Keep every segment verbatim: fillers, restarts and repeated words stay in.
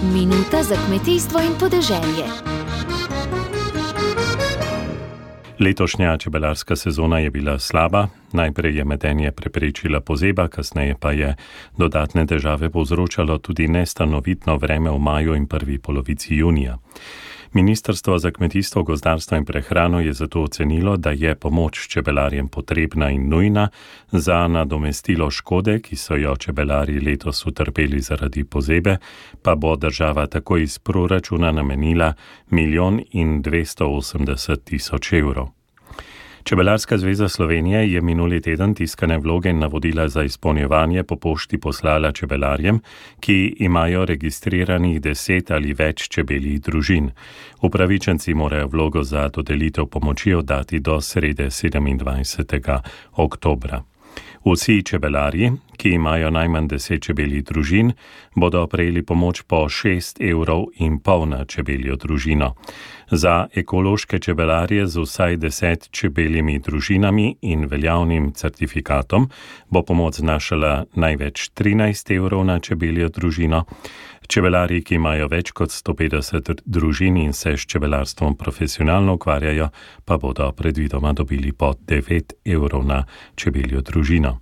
Minuta za kmetijstvo in podeželje. Letošnja čebelarska sezona je bila slaba. Najprej je medenje preprečila pozeba, kasneje pa je dodatne težave povzročalo tudi nestanovitno vreme v maju in prvi polovici junija. Ministrstvo za kmetijstvo, gozdarstvo in prehrano je zato ocenilo, da je pomoč čebelarjem potrebna in nujna za nadomestilo škode, ki so jo čebelari letos utrpeli zaradi pozebe, pa bo država tako iz proračuna namenila milijon in dvesto osemdeset tisoč evrov. Čebelarska zveza Slovenije je minuli teden tiskane vloge in navodila za izpolnjevanje po pošti poslala čebelarjem, ki imajo registriranih deset ali več čebeljih družin. Upravičenci morajo vlogo za dodelitev pomoči oddati do srede sedemindvajsetega oktobra. Vsi čebelarji, ki imajo najmanj deset čebeljih družin, bodo prejeli pomoč po šest evrov in pol na čebeljo družino. Za ekološke čebelarje z vsaj deset čebeljimi družinami in veljavnim certifikatom bo pomoč znašala največ trinajst evrov na čebeljo družino. Čebelarji, ki imajo več kot sto petdeset družin in se s čebelarstvom profesionalno ukvarjajo, pa bodo predvidoma dobili po devet evrov na čebeljo družino.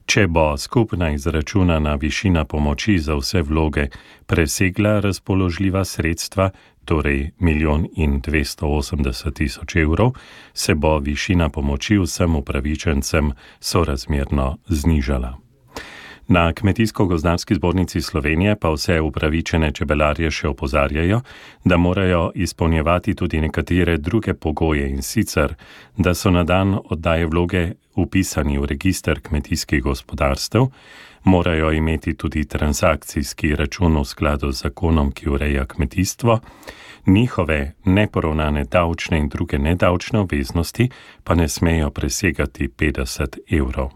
Če bo skupna izračunana višina pomoči za vse vloge presegla razpoložljiva sredstva, torej milijon in dvesto osemdeset tisoč evrov, se bo višina pomoči vsem upravičencem sorazmerno znižala. Na Kmetijsko-gozdarski zbornici Slovenije pa vse upravičene čebelarje še opozarjajo, da morajo izpolnjevati tudi nekatere druge pogoje, in sicer, da so na dan oddaje vloge vpisani v register kmetijskih gospodarstev, morajo imeti tudi transakcijski račun v skladu z zakonom, ki ureja kmetijstvo, njihove neporavnane davčne in druge nedavčne obveznosti pa ne smejo presegati petdeset evrov.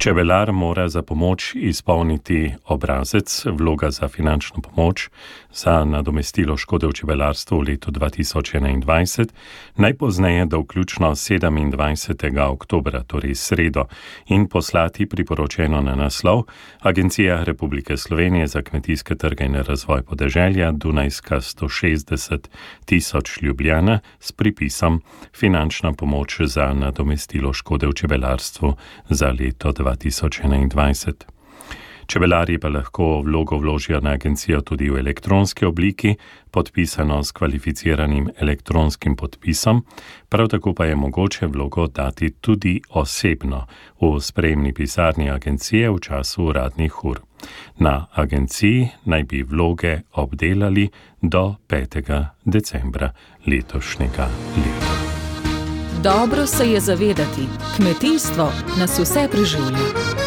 Čebelar mora za pomoč izpolniti obrazec vloga za finančno pomoč za nadomestilo škode v čebelarstvu v letu dva tisoč enaindvajset, najpozneje do vključno sedemindvajsetega oktobra, torej sredo, in poslati priporočeno na naslov Agencija Republike Slovenije za kmetijske trge in razvoj podeželja, Dunajska sto šestdeset tisoč Ljubljana, s pripisom Finančna pomoč za nadomestilo škode v čebelarstvu za leto dva tisoč enaindvajset. Čebelarji pa lahko vlogo vložijo na agencijo tudi v elektronski obliki, podpisano s kvalificiranim elektronskim podpisom, prav tako pa je mogoče vlogo dati tudi osebno v sprejemni pisarni agencije v času uradnih ur. Na agenciji naj bi vloge obdelali do petega decembra letošnjega leta. Dobro se je zavedati, kmetijstvo nas vse preživlja.